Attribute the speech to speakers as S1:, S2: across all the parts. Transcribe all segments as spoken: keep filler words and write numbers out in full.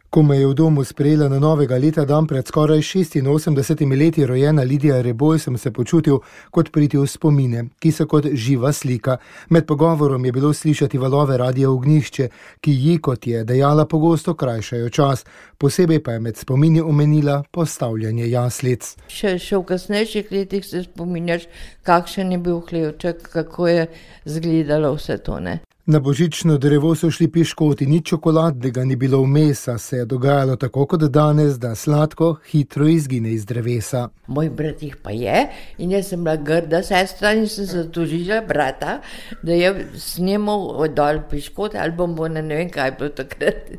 S1: Ko me je v domu sprejela na novega leta dan pred skoraj šestinosemdesetimi leti rojena Lidija Reboj, sem se počutil kot priti v spomine, ki so kot živa slika. Med pogovorom je bilo slišati valove Radia Ognjišče, ki ji, kot je dejala, pogosto krajšajo čas. Posebej pa je med spomini omenila postavljanje jaslic.
S2: Še, še v kasnejših letih se spominjaš, kakšen je bil hlevček, kako je izgledalo vse to, ne?
S1: Na božično drevo so šli piškoti, nič čokoladnega ni bilo vmes, a se je dogajalo tako kot danes, da sladko hitro izgine iz drevesa.
S2: Moj brat jih pa je in jaz sem bila grda sestra in sem zatožila brata, da je snemal dol piškote ali bombone, ne vem kaj bilo takrat.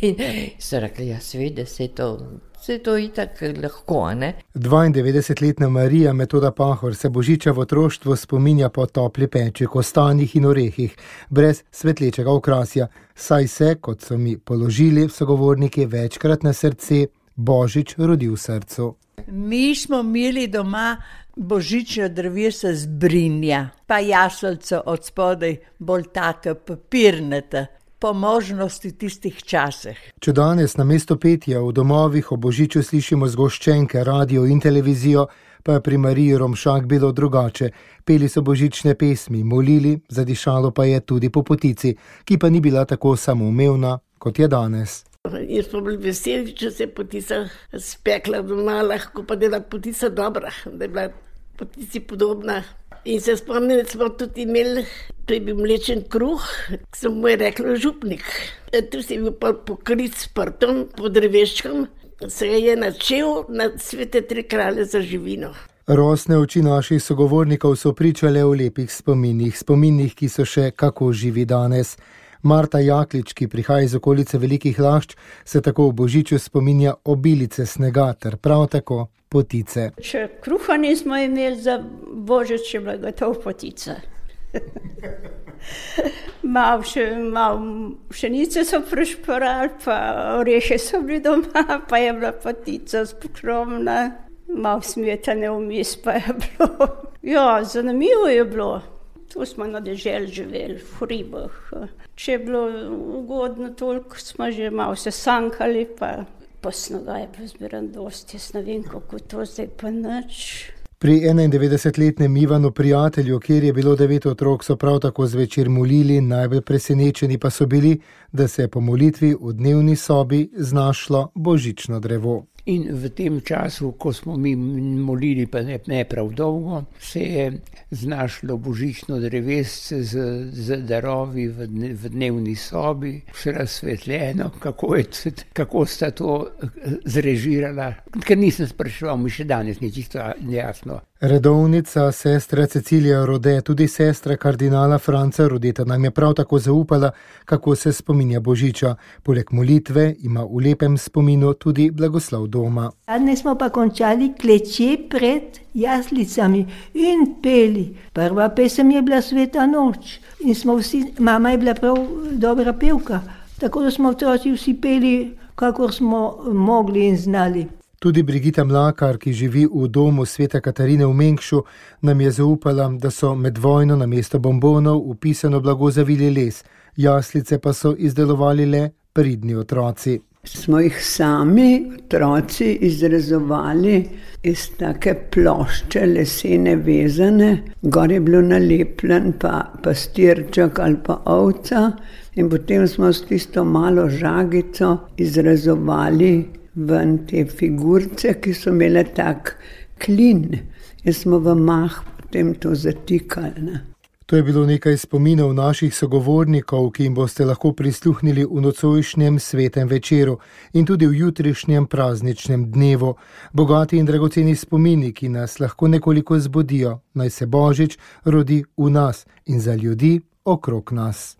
S2: In so rekli, ja seveda se to... Se to itak lahko, ne?
S1: dvaindevetdesetletna Marija Metoda Pahor se božiča v otroštvu spominja po topli peči, kostanjih in orehih, brez svetlečega okrasja, saj se, kot so mi položili sogovorniki večkrat na srce, Božič rodi v srcu.
S3: Mi smo imeli doma božično drevesa z brinja, pa jaselco od spodaj, bolj taka papirnata. Po možnosti tistih časih.
S1: Če danes namesto petja v domovih o božiču slišimo zgoščenke, radio in televizijo, pa je pri Mariji Romšak bilo drugače. Peli so božične pesmi, molili, zadišalo pa je tudi po potici, ki pa ni bila tako samoumevna, kot je danes.
S4: Jaz smo bili veseli, če se je potica spekla doma, lahko pa da je bila potica dobra, da je bila potici podobna. In se spomnim, da smo tudi imeli, to je bil mlečen kruh, ki sem mu je rekla župnik. Tu se je bil pa pokrit s prtom, pod dreveščkom, se je načel na svete tri kralje za živino.
S1: Rosne oči naših sogovornikov so pričale o lepih spominih, spominih, ki so še kako živi danes. Marta Jaklič, ki prihaja iz okolice Velikih Lašč, se tako v božiču spominja obilice snega ter prav tako potice.
S5: Če kruha nismo imeli za božič, je bila gotov potica. Mal še, mal pšenice so prišporali, pa orehe so bili doma, pa je bila potica skromna, mal smetane vmes pa je bilo. Ja, zanimivo je bilo. Tu smo na deželi živeli, v hribah. Če je bilo ugodno toliko, smo že malo se sankali, pa, pa snega je bilo zbiran dosti. Jaz ne vem, kako to zdaj pa nič.
S1: Pri enaindevetdesetletnem Ivanu Prijatelju, kjer je bilo devet otrok, so prav tako zvečer molili, najbolj presenečeni pa so bili, da se je po molitvi v dnevni sobi znašlo božično drevo.
S6: In v tem času, ko smo mi molili, pa ne, ne prav dolgo, se je znašlo božično drevesce z, z darovi v, dne, v dnevni sobi, vse razsvetljeno, kako, je, kako sta to zrežirala, ker nisem spraševal, mi še danes ni čisto jasno.
S1: Redovnica sestra Cecilija Rode, tudi sestra kardinala Franca Rodeta, nam je prav tako zaupala, kako se spominja božiča. Poleg molitve ima v lepem spominu tudi blagoslov doma.
S7: Danes smo pa končali kleče pred jaslicami in peli. Prva pesem je bila Sveta noč in smo vsi, mama je bila prav dobra pevka, tako da smo otroci vsi peli, kakor smo mogli in znali.
S1: Tudi Brigita Mlakar, ki živi v domu Svete Katarine v Mengšu, nam je zaupala, da so med vojno namesto bombonov vpisano blago zavili les, jaslice pa so izdelovali le pridni otroci.
S8: Smo jih sami, otroci, izrezovali iz take plošče lesene vezane, gor je bilo nalepljen pa pastirček ali pa ovca in potem smo s tisto malo žagico izrezovali ven te figurce, ki so imele tak klin in smo v mah potem to zatikali. Ne?
S1: To je bilo nekaj spominov naših sogovornikov, ki jim boste lahko prisluhnili v nocojšnjem svetem večeru in tudi v jutrišnjem prazničnem dnevu. Bogati in dragoceni spomini, ki nas lahko nekoliko zbudijo, naj se Božič rodi v nas in za ljudi okrog nas.